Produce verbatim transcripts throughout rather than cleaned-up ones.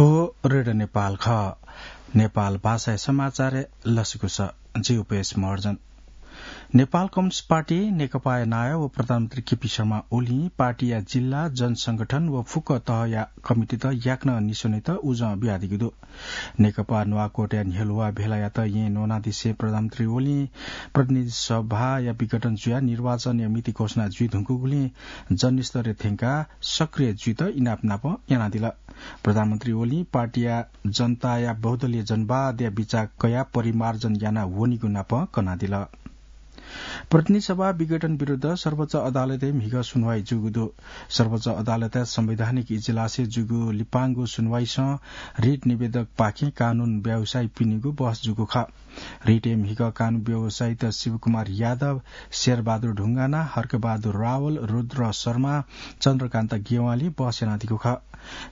ओ रेडियो नेपाल खः। नेपाल भाषाया समाचार लसिकुस। जि उपेश महर्जन। नेपाल कम्युनिस्ट पार्टी नेकपाया नायः व प्रधानमन्त्री केपी शर्मा ओलीं पार्टीया जिल्ला, जनसंगठन व फुक्क तहया कमिटीत याकनं निस्वनेत उजं बियादीगु दु। नेकपा नुवाकोटया न्ह्यलुवा भेलायात येँ न्वनादिसें प्रधानमन्त्री ओलीं प्रतिनिधि सभाया विघटन जुयाः निर्वाचनया मिति घोषणा जुइधुंकूगुलिं जनस्तरय् थ्यंकाः सक्रिय जुइत इनाप नाप यानादिल। प्रधानमन्त्री ओलीं पार्टीया जनताया बहुदलीय जनवादया बिचाः कयाः परिमार्जन याना वनीगु नाप कनादिल। प्रतिनिधि सभा विघटन विरुद्ध सर्वोच्च अदालतय् म्हिगः सुनवाई जूगु दु। सर्वोच्च अदालतया संवैधानिक इजलासय् जूगु लिपांगु सुनवाईसं रिट निवेदकपाखें कानून व्यवसायीपिनिगु बहस जूगु खः। रिटय् म्हिगः कानून व्यवसायीत शिवकुमार यादव, शेरबहादुर ढुङ्गाना, हर्कबहादुर रावल, रुद्र शर्मा, चन्द्रकान्त गेवालीं बहस यानादीगु खः।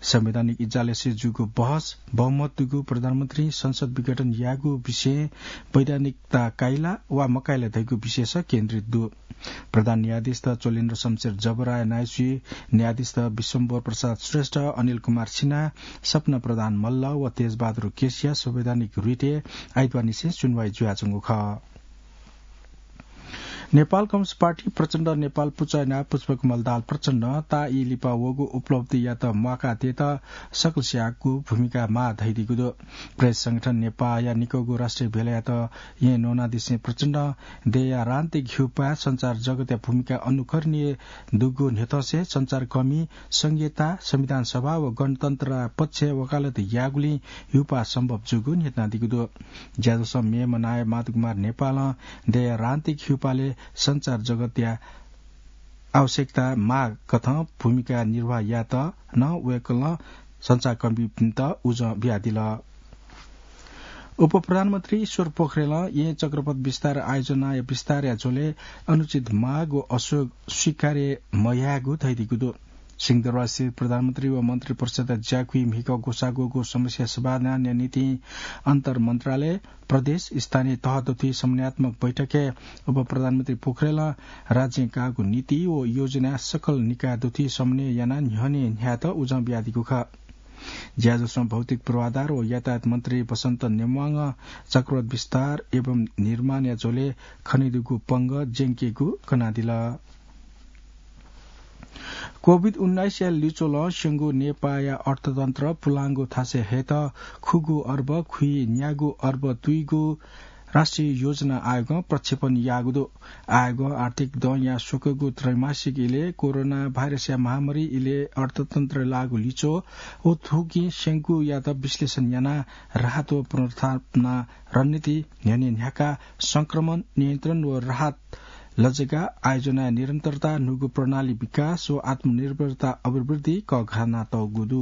संवैधानिक इजलासय् जूगु बहस बहुमत दुगु प्रधानमन्त्री संसद विघटन यायेगु विषयय् वैधानिकता काइला वा मकाइला धइगु विषयस केन्द्रित दु। प्रधान न्यायाधीशत चोलेन्द्र शमशेर जबराया नाइसुइ न्यायाधीशत विश्वम्भर प्रसाद श्रेष्ठ, अनिल कुमार सिन्हा, सपना प्रधान मल्ल व तेजबहादुर केसीया संवैधानिक रिटय् आइतबारनिसें सुनवाई जुयाच्वंगु खः। नेपाल कम्युनिस्ट पार्टी प्रचण्ड नेपाल पुचः यानाः पुष्पकमल दाहाल प्रचण्डं ताःई लिपा वःगु उपलब्धियात म्वाकाः तयेत सकलस्यागु भूमिका माः धयादीगु दु। प्रेस संगठन नेपाःया निकःगु राष्ट्रिय भेलायात येँ न्वनादिसें प्रचण्डं दय्‌या रान्तिक हिउपाः संचार जगतया भूमिका अनुकरणीय दुगु न्ह्यथंसे संचारकर्मी, संघीयता, संविधान सभा व गणतन्त्रया पक्षय् वकालत याःगुलिं हिउपाः सम्भव जूगु न्ह्यथनादीगु दु। ज्याझ्वलय् मेम्ह नायः माधवकुमार नेपालं दय्‌या रान्तिक हिउपालय् संचार जगतया आवश्यकता माःकथं भूमिका निर्वाह यायेत नं वय्‌कलं संचारकर्मीपिन्त उजं बियादिल। उपप्रधानमन्त्री ईश्वर पोखरेलं येँ चक्रपथ विस्तार आयोजनाया विस्तारया झ्वलय् अनुचित माग व असोज स्वीकार्य मयायेगु धयादीगु दु। सिंहदरबारस्थित प्रधानमन्त्री व मन्त्रिपरिषद्या ज्याकुइ म्हिगः ग्वसाः ग्वःगु समस्या समाधानया निंतिं अन्तर मन्त्रालय, प्रदेश, स्थानीय तह दुथुइ समन्वयात्मक बैठकय् उपप्रधानमन्त्री पोखरेलं राज्यं काःगु नीति व योजनाया सकल निकाय दुथुइ समन्वय यानाः न्ह्यःने न्ह्यायेत उजं बियादीगु खः। ज्याझ्वलय् भौतिक पूर्वाधार व यातायात मन्त्री बसन्त नेम्वाङं चक्रपथ विस्तार एवं निर्माणया झ्वलय् खनेदुगु पंगः ज्यंकेगु कनादिल। कोभिड उन्नाइसया लिच्वलं स्यंगु नेपाःया अर्थतन्त्र पुलांगु थासय् हयेत खुगू अर्ब खुइन्यागू अर्ब तुइगु राष्ट्रिय योजना आयोगं प्रक्षेपण याःगु दु। आयोगं आर्थिक दँया स्वकूगु त्रैमासिक इलय् कोरोना भाइरसया महामारी इलय् अर्थतन्त्रय् लाःगु लिच्वः व थुकिं स्यंगूयात विश्लेषण यानाः राहत व पुनर्स्थापना रणनीति न्ह्यःने न्ह्याकाः संक्रमण नियन्त्रण व राहत लजगाः आयोजनाया निरन्तरता, न्हूगु प्रणाली विकास व आत्मनिर्भरता अभिवृद्धि कःघानातःगु दु।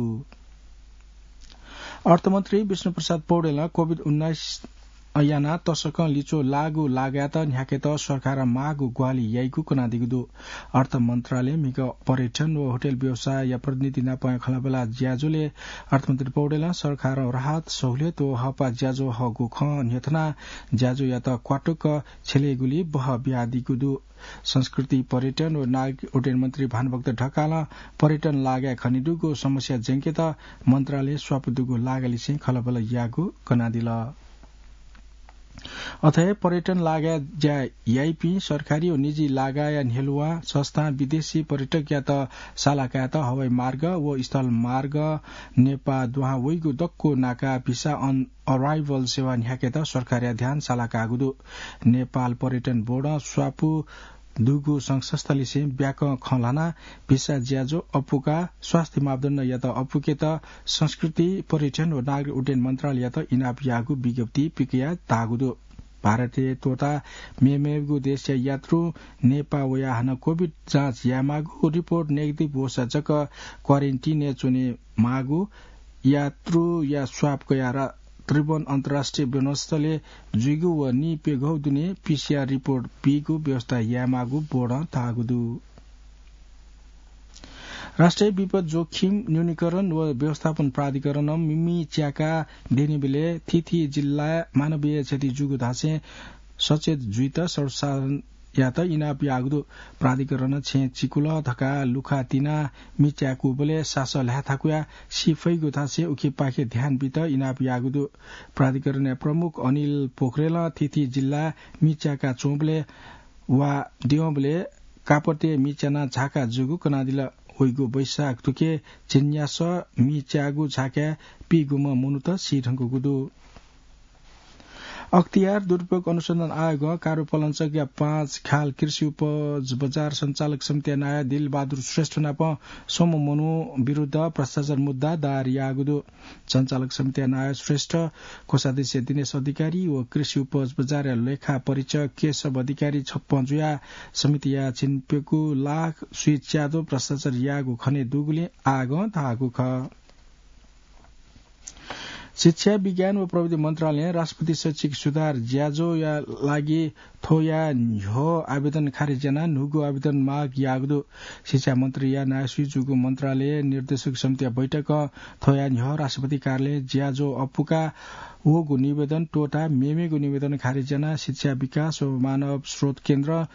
अर्थमन्त्री विष्णुप्रसाद पौडेलं कोभिड उन्नाइस यानाः तसकं लिच्वः लाःगु लागायात न्ह्याकेत सरकारं माःगु ग्वाहालि याइगु कनादीगु दु। अर्थ मन्त्रालय म्हिगः पर्यटन व होटल व्यवसायया प्रतिनिधि नाप खँल्हाबल्हा ज्याझ्वलय् अर्थमन्त्री पौडेलं सरकारं राहत, सहुलियत व हःपाः ज्याझ्वः हःगु खँ न्ह्यथनाः ज्याझ्वःयात क्वातुक छ्यलेगुली बहः बियादीगु दु। संस्कृति, पर्यटन व नागरिक उड्डयन मन्त्री भानुभक्त ढकालं पर्यटन लागाय् खनेदुगु समस्या ज्यंकेत मन्त्रालयं स्वापू दुगु लागालिसें खँल्हाबल्हा याःगु कनादिल। अथे हे पर्यटन लागाय् ज्या याइपिं सरकारी व निजी लागाया न्ह्यलुवां संस्थां विदेशी पर्यटकयात साला कायेत हवाई मार्ग व स्थल मार्ग नेपाः दुहां वइगु दक्व नाका visa on arrival सेवा न्ह्याकेत सरकारया ध्यान साला काःगु दु। नेपाल पर्यटन बोर्डं स्वापू दुगु संघ संस्थालिसें ब्याकं खँ ल्हानाः visa ज्याझ्वः अप्वकाः स्वास्थ्य मापदण्डयात अप्वकेत संस्कृति, पर्यटन व नागरिक उड्डयन मन्त्रालययात इनाप याःगु विज्ञप्ति पिकयाः धाःगु दु। भारतय् त्वःताः मेमेगु देशया यात्रुं नेपाः वयाः हानं कोभिड जाँच यायेमाःगु, रिपोर्ट नेगेटिभ वःसा जक क्वारेन्टिनय् च्वनेमाःगु, यात्रुया स्वाब कयाः रा-, त्रिभुवन अन्तर्राष्ट्रिय विमानस्थलय् जुइगु व निप्यघौ दुने PCR रिपोर्ट बीगु व्यवस्था यायेमाःगु बोर्डं धाःगु दु। राष्ट्रिय विपद जोखिम न्यूनीकरण व व्यवस्थापन प्राधिकरणं मिमि च्याका दनिबलय् थीथी जिल्लाय् मानवीय क्षति जूगु धासें सचेत जुइत सर्वसाधारण यात इनाप याःगु दु। प्राधिकरणं छेँ चिकुल धकाः लुखा तिनाः मि च्याकूबलय् सासः ल्हाये थाकुयाः सी फइगु धासें उखेपाखे ध्यान बीत इनाप याःगु दु। प्राधिकरणया प्रमुख अनिल पोखरेलं थीथी जिल्लाय् मि च्याका च्वंबलय् वा द्यंबलय् कापतय् मि च्यानाः झाका जूगु कनादिल। वइगु वैशाख थुखे झिंन्यासः मि च्याःगु झाकाय् पीगुम्ह मनूत सी धुंकूगु दु। अख्तियार दुरुपयोग अनुसन्धान आयोगं कारुपलञ्चकया पाँच खाल कृषि उपज बजार सञ्चालक समितिया नायः दिलबहादुर श्रेष्ठ नाप स्वम्ह मनू विरुद्ध भ्रष्टाचार मुद्दा दायर याःगु दु। सञ्चालक समितिया नायः श्रेष्ठ कोषाध्यक्ष दिनेश अधिकारी व कृषि उपज बजारया लेखा परीक्षक केशव अधिकारी छप्पँ जुयाः समितिया झिंप्यकू लाख स्वीच्यादँ भ्रष्टाचार याःगु खने दुगुलिं आयोगं धाःगु खः। शिक्षा, विज्ञान व प्रविधि मन्त्रालयं राष्ट्रपति शैक्षिक सुधार ज्याझ्वःया लागि थ्वया न्ह्यः आवेदन खारेज यानाः न्हूगु आवेदन माग याःगु दु। शिक्षा मन्त्रीया नायःसुइ जूगु मन्त्रालय निर्देशक समितिया बैठकं थ्वया न्ह्यः राष्ट्रपति कार्यालयं ज्याझ्वः अप्वुकाः वःगु निवेदन त्वःताः मेमेगु निवेदन खारेज यानाः शिक्षा विकास व मानव स्रोत केन्द्रं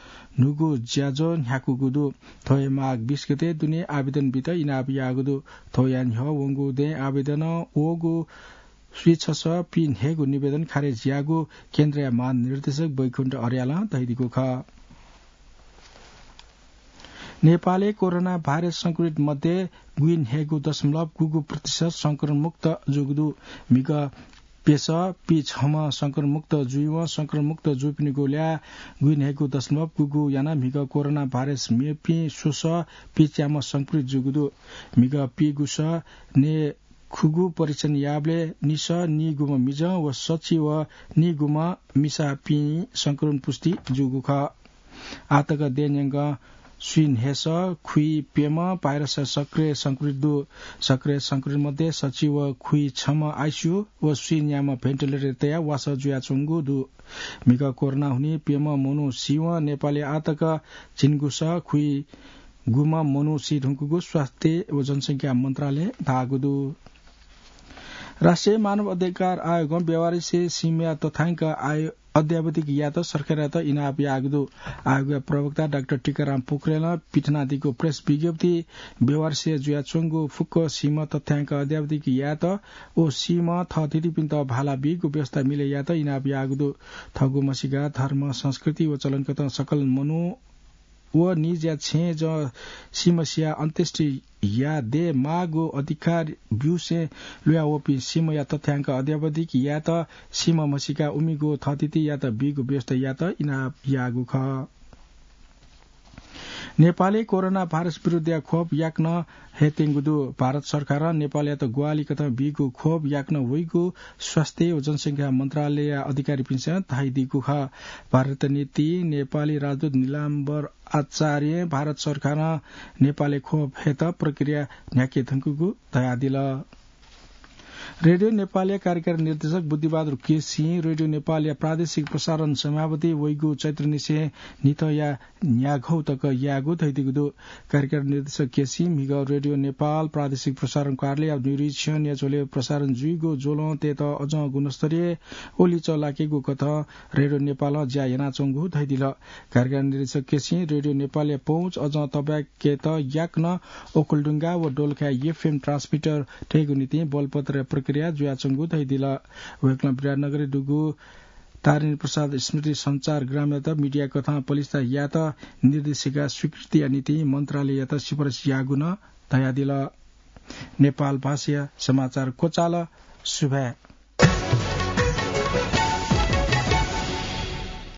न्हूगु ज्याझ्वः न्ह्याकूगु दु। थ्वया माघ बीस गते दुने आवेदन बीत इनाप याःगु दु। थ्वया न्ह्यः वंगु दँय् आवेदनं वःगु स्वीछसः पीन्हय्गू निवेदन खारेज याःगु केन्द्रया महानिर्देशक वैकुण्ठ अर्यालं धयादीगु खः। नेपालय् कोरोना भाइरस संक्रमित मध्ये गुइन्हय्गू दशमलव गुगू प्रतिशत संक्रमण मुक्त जूगु दु। म्हिगः प्यसः पीछम्ह संक्रमण मुक्त जुइवं संक्रमण मुक्त जूपिनिगु ल्याः गुइन्हय्गू दशमलव गुगू यानाः म्हिगः कोरोना भाइरस मेपिं स्वसः पीच्याम्ह संक्रमित जूगु दु। म्हिगः पीगुसः नये खुगू परीक्षण याःबलय् निसः नीगुम्ह मिजं व सछि व नीगुम्ह मिसापिं संक्रमण पुष्टि जूगु खः। आःतक दँय् न्यंकं स्वीन्हय्सः खुइप्यम्ह भाइरसया सक्रिय संक्रमित दु। सक्रिय संक्रमित मध्ये सछि व खुइछम्ह आइसियु व स्वीन्याम्ह भेन्टिलेटरय् तयाः वासः जुयाच्वंगु दु। म्हिगः कोरोना हुनिं प्यम्ह मनू सीवं नेपालय् आःतक झिंगुसः खुइगुम्ह मनू सी धुंकूगु स्वास्थ्य व जनसंख्या मन्त्रालयं धाःगु दु। राष्ट्रिय मानव अधिकार आयोगं बेवारिसे सीमाया तथ्याङ्क आयो-, अद्यावधिक यायेत सरकारयात इनाप याःगु दु। आयोगया प्रवक्ता डाक्टर टीकाराम पोखरेलं पिथनादीगु प्रेस विज्ञप्तिइ बेवारिसे जुयाच्वंगु फुक्क सीमा तथ्याङ्क अद्यावधिक यायेत व सीमा थःथितिपिन्त भाला बीगु व्यवस्था मिले यायेत इनाप याःगु दु। थःगु म्हसीका धर्म, संस्कृति व चलनकथं सकल मनू व निज्या छेँय् जं सीमा सियाः अन्त्येष्टि याये दयेमाःगु अधिकार ब्यूसें ल्वयावःपिं सीमाया तथ्याङ्क अद्यावधिक यायेत सीमा म्हसीका उमिगु थःथितियात बीगु व्यवस्था यायेत इनाप याःगु खः। नेपालय् कोरोना भाइरस विरुद्धया खोप याकनं हयेत्यंगु दु। भारत सरकारं नेपालयात ग्वाहालिकथं बीगु खोप याकनं वइगु स्वास्थ्य व जनसंख्या मन्त्रालयया अधिकारीपिन्सं धयादीगु खः। भारत नीति नेपाली राजदूत नीलाम्बर आचार्यं भारत सरकारं नेपालय् खोप हयेत प्रक्रिया न्ह्याके धुंकूगु धयादिल। रेडियो नेपालया कार्यकारी निर्देशक बुद्धिबहादुर केसीं रेडियो नेपालया प्रादेशिक प्रसारण समयावधि वइगु चैत्रनिसें न्हिथंया न्याघौ तक यायेगु धयादीगु दु। कार्यकारी निर्देशक केसीं म्हिगः रेडियो नेपाल प्रादेशिक प्रसारण कार्यालयया निरीक्षणया झ्वलय् प्रसारण जुइगु ज्वलं तयेत अझं गुणस्तरीय ओलीचः लाकेगु कथं रेडियो नेपालं ज्या यानाच्वंगु धयादिल। कार्यकारी निर्देशक केसीं रेडियो नेपालया पहुँच अझं तबाय्केत याकनं ओखलढुङ्गा व दोलखाय् एफएम ट्रान्समिटर तयेगु निंतिं बलपत्र प्रक्रिया जुयाच्वंगु धयादिल। वय्कलं विराटनगरय् दुगु तारिणी प्रसाद स्मृति सञ्चार ग्रामयात मिडिया कथं पलिस्था यायेत निर्देशिका स्वीकृतिया निंतिं मन्त्रालययात सिफारिस याःगु नं धयादिल। नेपाल भाषाया समाचार क्वचाल। सुभाय्।